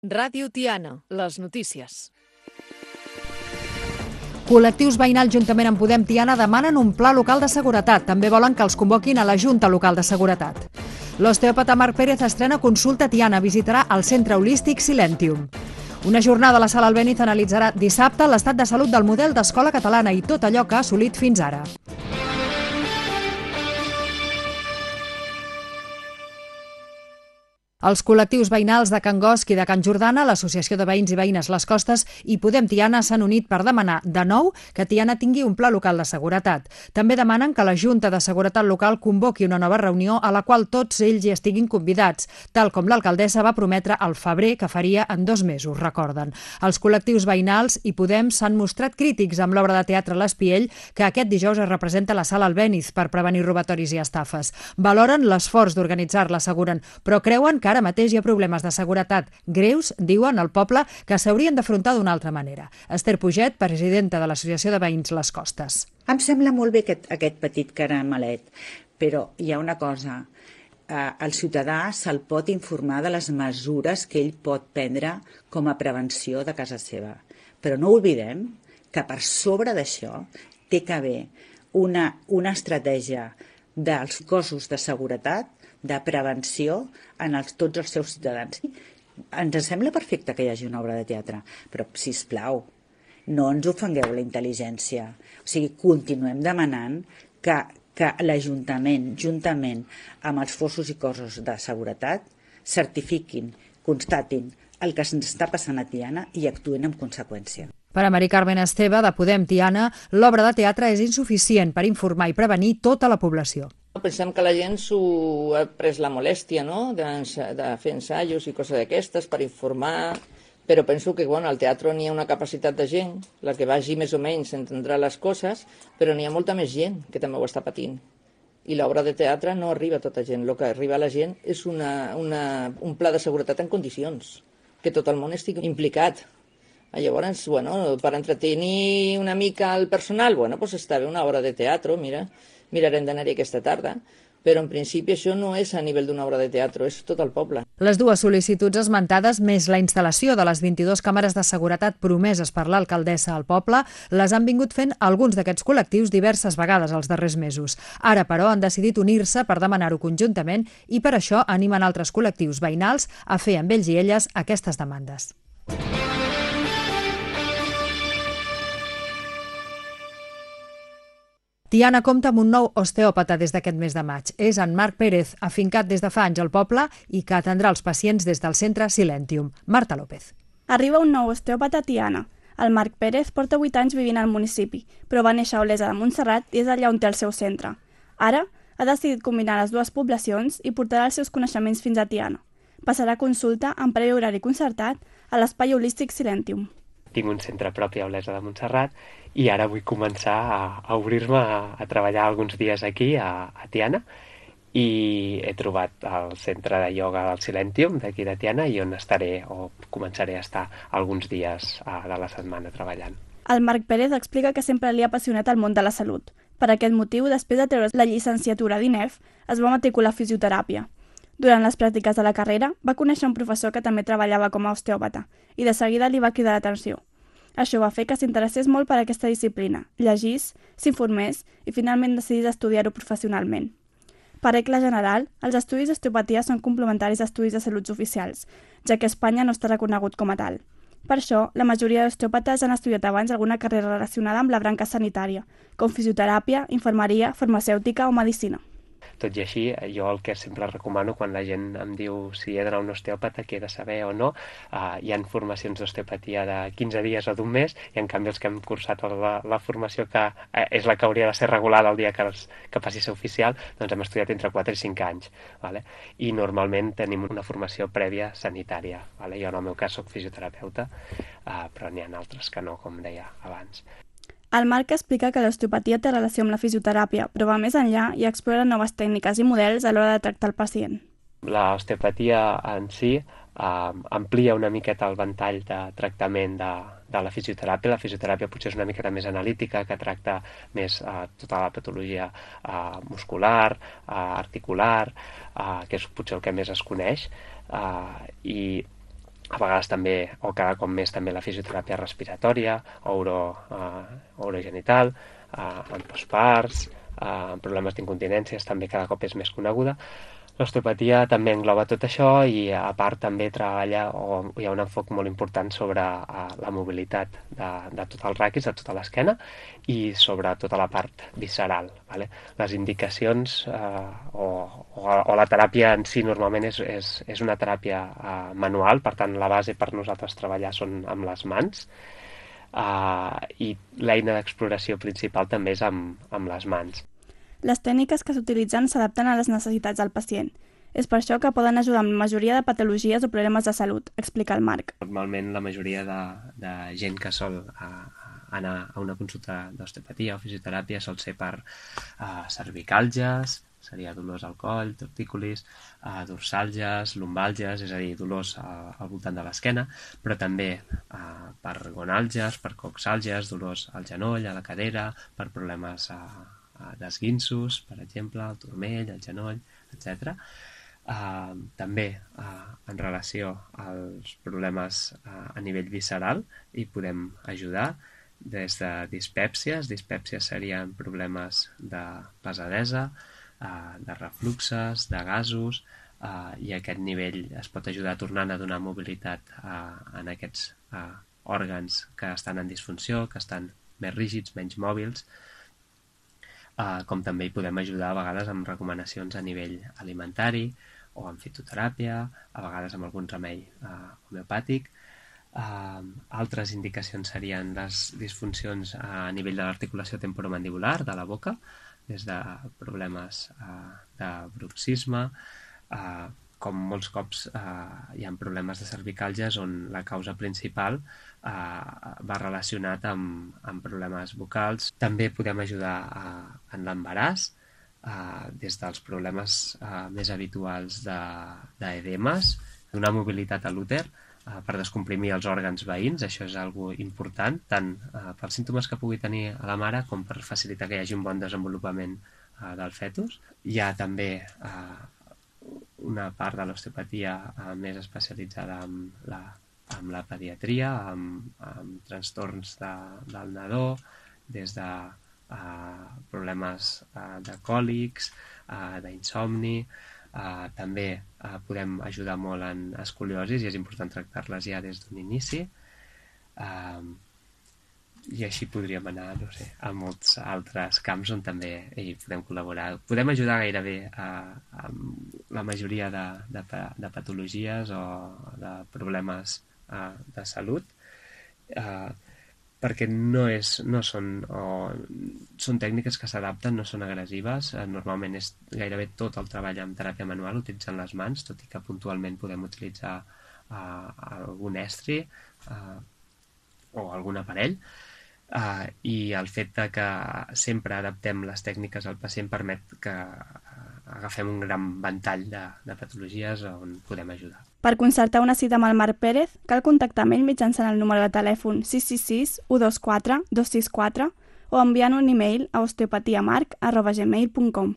Ràdio Tiana, les notícies. Col·lectius veïnals juntament amb Podem Tiana demanen un pla local de seguretat. També volen que els convoquin a la Junta Local de Seguretat. L'osteòpata Marc Pérez estrena Consulta Tiana. Visitarà el centre holístic Silentium. Una jornada a la Sala Albéniz analitzarà dissabte l'estat de salut del model d'escola catalana i tot allò que ha assolit fins ara. Els col·lectius veïnals de Can Guosc i de Can Jordana, l'Associació de Veïns i Veïnes Les Costes i Podem Tiana s'han unit per demanar de nou que Tiana tingui un pla local de seguretat. També demanen que la Junta de Seguretat Local convoqui una nova reunió a la qual tots ells hi estiguin convidats, tal com l'alcaldessa va prometre al febrer que faria en 2 mesos, recorden. Els col·lectius veïnals i Podem s'han mostrat crítics amb l'obra de teatre L'Espiell que aquest dijous es representa a la Sala Albéniz per prevenir robatoris i estafes. Valoren l'esforç d'organitzar-la, asseguren, però creuen que ara mateix hi ha problemes de seguretat greus, diuen al poble, que s'haurien d'afrontar d'una altra manera. Esther Puget, presidenta de l'Associació de Veïns Les Costes. Em sembla molt bé aquest petit caramelet, però hi ha una cosa. El ciutadà se'l pot informar de les mesures que ell pot prendre com a prevenció de casa seva. Però no oblidem que per sobre d'això té que haver una estratègia dels cossos de seguretat, de prevenció en tots els seus ciutadans. Ens sembla perfecte que hi hagi una obra de teatre, però, sisplau, no ens ofengueu la intel·ligència. O sigui, continuem demanant que l'Ajuntament, juntament amb els Cossos i cossos de seguretat, certifiquin, constatin el que se'ns està passant a Tiana i actuïn en conseqüència. Per a Mari Carmen Esteve, de Podem Tiana, l'obra de teatre és insuficient per informar i prevenir tota la població. Pensem que la gent s'ho ha pres la molèstia, no?, de fer ensaios i coses d'aquestes per informar, però penso que al teatre n'hi ha una capacitat de gent, la que vagi més o menys entendrà les coses, però n'hi ha molta més gent que també ho està patint. I l'obra de teatre no arriba a tota gent, el que arriba a la gent és un pla de seguretat en condicions, que tot el món estigui implicat. Llavors, per entretenir una mica el personal, doncs està bé una obra de teatre, mirarem d'anar-hi aquesta tarda, però en principi això no és a nivell d'una obra de teatre, és tot el poble. Les dues sol·licituds esmentades, més la instal·lació de les 22 càmeres de seguretat promeses per l'alcaldessa al poble, les han vingut fent alguns d'aquests col·lectius diverses vegades els darrers mesos. Ara, però, han decidit unir-se per demanar-ho conjuntament i per això animen altres col·lectius veïnals a fer amb ells i elles aquestes demandes. Tiana compta amb un nou osteòpata des d'aquest mes de maig. És en Marc Pérez, afincat des de fa anys al poble i que atendrà els pacients des del centre Silentium. Marta López. Arriba un nou osteòpata a Tiana. El Marc Pérez porta 8 anys vivint al municipi, però va néixer a Olesa de Montserrat i és allà on té el seu centre. Ara ha decidit combinar les dues poblacions i portarà els seus coneixements fins a Tiana. Passarà consulta en previ horari concertat a l'espai holístic Silentium. Tinc un centre propi a Olesa de Montserrat i ara vull començar a obrir-me a treballar alguns dies aquí a Tiana i he trobat el centre de ioga del Silentium d'aquí de Tiana i on estaré o començaré a estar alguns dies de la setmana treballant. El Marc Pérez explica que sempre li ha apassionat el món de la salut. Per aquest motiu, després de treure la llicenciatura d'INEF, es va matricular a fisioteràpia. Durant les pràctiques de la carrera, va conèixer un professor que també treballava com a osteòpata i de seguida li va cridar l'atenció. Això va fer que s'interessés molt per aquesta disciplina, llegís, s'informés i finalment decidís estudiar-ho professionalment. Per regla general, els estudis d'osteopatia són complementaris a estudis de salut oficials, ja que a Espanya no està reconegut com a tal. Per això, la majoria d'osteòpates han estudiat abans alguna carrera relacionada amb la branca sanitària, com fisioteràpia, infermeria, farmacèutica o medicina. Tot i així, jo el que sempre recomano quan la gent em diu si he d'anar a un osteòpata, què he de saber o no, hi ha formacions d'osteopatia de 15 dies o d'un mes i en canvi els que hem cursat la formació que és la que hauria de ser regulada el dia que passi a ser oficial, doncs hem estudiat entre 4 i 5 anys. Vale? I normalment tenim una formació prèvia sanitària. Vale? Jo en el meu cas soc fisioterapeuta, però n'hi ha altres que no, com deia abans. El Marc explica que l'osteopatia té relació amb la fisioteràpia, però va més enllà i explora noves tècniques i models a l'hora de tractar el pacient. L'osteopatia en si amplia una miqueta el ventall de tractament de la fisioteràpia. La fisioteràpia potser és una miqueta més analítica, que tracta més tota la patologia muscular, articular, que és potser el que més es coneix, i a vegades també, o cada cop més també la fisioteràpia respiratòria, urogenital, en postparts, en problemes d'incontinències també cada cop és més coneguda. L'osteopatia també engloba tot això i a part també treballa o hi ha un enfoc molt important sobre la mobilitat de tot el raquis, de tota l'esquena i sobre tota la part visceral. Vale? Les indicacions o la teràpia en si normalment és una teràpia manual, per tant la base per nosaltres treballar són amb les mans i l'eina d'exploració principal també és amb les mans. Les tècniques que s'utilitzen s'adapten a les necessitats del pacient. És per això que poden ajudar amb la majoria de patologies o problemes de salut, explica el Marc. Normalment la majoria de gent que sol anar a una consulta d'osteopatia o fisioteràpia sol ser per cervicàlgies, seria dolors al coll, tortícolis, dorsàlgies, lumbàlgies, és a dir, dolors al voltant de l'esquena, però també per gonàlgies, per coxàlgies, dolors al genoll, a la cadera, per problemes d'esguinços, per exemple, el turmell, el genoll, etc. També en relació als problemes a nivell visceral hi podem ajudar des de dispèpsies. Dispèpsies serien problemes de pesadesa, de refluxes, de gasos, i a aquest nivell es pot ajudar tornant a donar mobilitat en aquests òrgans que estan en disfunció, que estan més rígids, menys mòbils, com també hi podem ajudar a vegades amb recomanacions a nivell alimentari o amb fitoteràpia, a vegades amb algun remei homeopàtic. Altres indicacions serien les disfuncions a nivell de l'articulació temporomandibular de la boca, des de problemes de bruxisme, com molts cops hi ha problemes de cervicàlgies on la causa principal va relacionat amb problemes vocals. També podem ajudar en l'embaràs, des dels problemes més habituals d'edemes, donar mobilitat a l'úter per descomprimir els òrgans veïns, això és algo important, tant pels símptomes que pugui tenir a la mare com per facilitar que hi hagi un bon desenvolupament del fetus. Hi ha també una part de l'osteopatia més especialitzada amb la pediatria, amb trastorns del nadó, des de problemes de còlics, d'insomni. També podem ajudar molt en escoliosis i és important tractar-les ja des d'un inici. I així podríem anar, no sé, a molts altres camps on també hi podem col·laborar. Podem ajudar gairebé a la majoria de patologies o de problemes de salut, perquè són tècniques que s'adapten, no són agressives. Normalment és gairebé tot el treball amb teràpia manual utilitzant les mans, tot i que puntualment podem utilitzar algun estri o algun aparell. I el fet que sempre adaptem les tècniques al pacient permet que agafem un gran ventall de patologies on podem ajudar. Per concertar una cita amb el Marc Pérez, cal contactar amb ell mitjançant el número de telèfon 666 124 264 o enviant un e-mail a osteopatiamarc@gmail.com.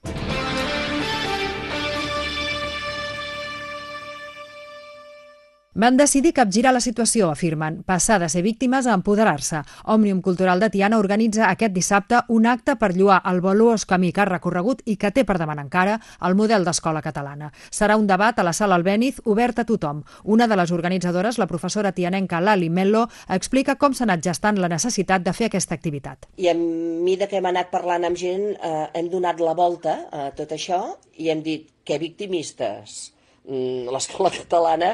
Van decidir capgirar la situació, afirmen, passar de ser víctimes a empoderar-se. Òmnium Cultural de Tiana organitza aquest dissabte un acte per lloar el valuós camí que ha recorregut i que té per davant encara el model d'escola catalana. Serà un debat a la Sala Albéniz obert a tothom. Una de les organitzadores, la professora tianenca Lali Mello, explica com s'ha anat gestant la necessitat de fer aquesta activitat. I a mesura que hem anat parlant amb gent, hem donat la volta a tot això i hem dit que victimistes. L'escola catalana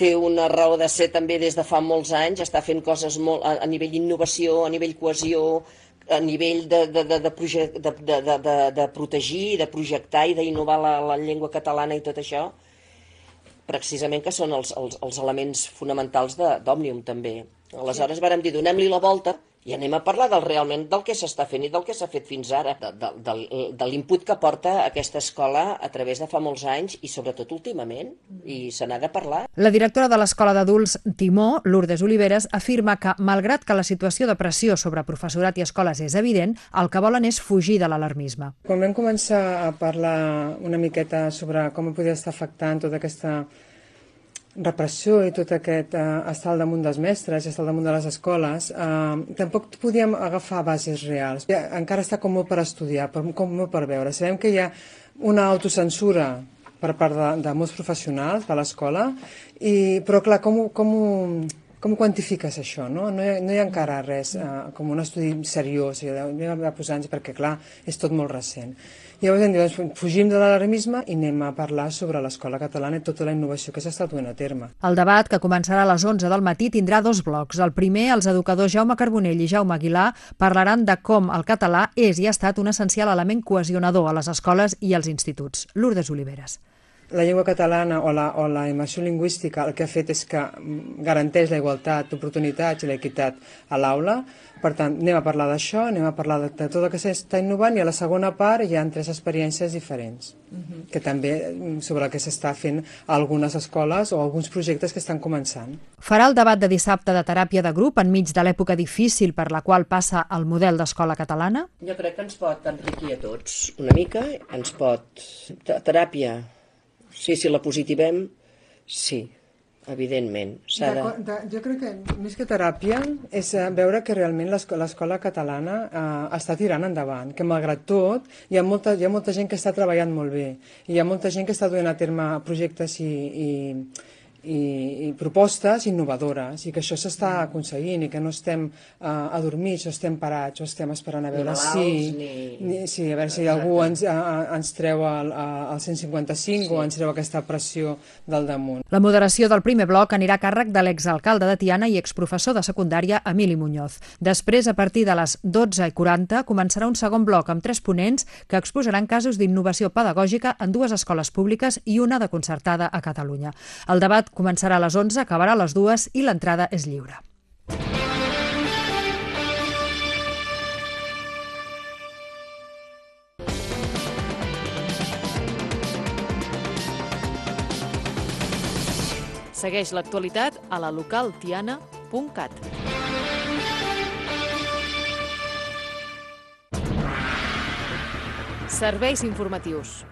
té una raó de ser també des de fa molts anys, està fent coses molt a nivell d'innovació, a nivell cohesió, a nivell de protegir, de projectar i d'innovar la llengua catalana i tot això, precisament que són els elements fonamentals d'Òmnium també. Aleshores vàrem dir, donem-li la volta i anem a parlar realment del que s'està fent i del que s'ha fet fins ara, de l'input que porta aquesta escola a través de fa molts anys i sobretot últimament, i se n'ha de parlar. La directora de l'Escola d'Adults Timó, Lourdes Oliveres, afirma que, malgrat que la situació de pressió sobre professorat i escoles és evident, el que volen és fugir de l'alarmisme. Quan vam començar a parlar una miqueta sobre com podia estar afectant tota aquesta repressió i tot aquest estar al damunt dels mestres i estar al damunt de les escoles, tampoc podíem agafar bases reals. Encara està com molt per estudiar, com molt per veure. Sabem que hi ha una autocensura per part de molts professionals de l'escola, però clar, com quantifiques això? No hi ha encara res com un estudi seriós, anem a posar-nos, perquè clar, és tot molt recent. Llavors hem dit, fugim de l'alarmisme i anem a parlar sobre l'escola catalana i tota la innovació que s'està duent a terme. El debat, que començarà a les 11 del matí, tindrà 2 blocs. El primer, els educadors Jaume Carbonell i Jaume Aguilar parlaran de com el català és i ha estat un essencial element cohesionador a les escoles i als instituts. Lourdes Oliveres. La llengua catalana o la immersió lingüística el que ha fet és que garanteix la igualtat d'oportunitats i l'equitat a l'aula. Per tant, anem a parlar d'això, anem a parlar de tot el que s'està innovant i a la segona part hi ha 3 experiències diferents, que també sobre el que s'està fent a algunes escoles o alguns projectes que estan començant. Farà el debat de dissabte de teràpia de grup enmig de l'època difícil per la qual passa el model d'escola catalana? Jo crec que ens pot enriquir a tots una mica, ens pot... Teràpia, sí, si la positivem, sí. Evidentment. Jo crec que més que teràpia és veure que realment l'escola catalana està tirant endavant, que malgrat tot hi ha molta gent que està treballant molt bé, hi ha molta gent que està duent a terme projectes i propostes innovadores i que això s'està aconseguint i que no estem adormits o estem parats o estem esperant a veure a veure si algú ens treu el 155 o ens treu aquesta pressió del damunt. La moderació del primer bloc anirà a càrrec de l'exalcalde de Tiana i exprofessor de secundària Emili Muñoz. Després, a partir de les 12:40, començarà un segon bloc amb 3 ponents que exposaran casos d'innovació pedagògica en 2 escoles públiques i una de concertada a Catalunya. El debat començarà a les 11, acabarà a les 2 i l'entrada és lliure. Segueix l'actualitat a la localtiana.cat. Serveis informatius.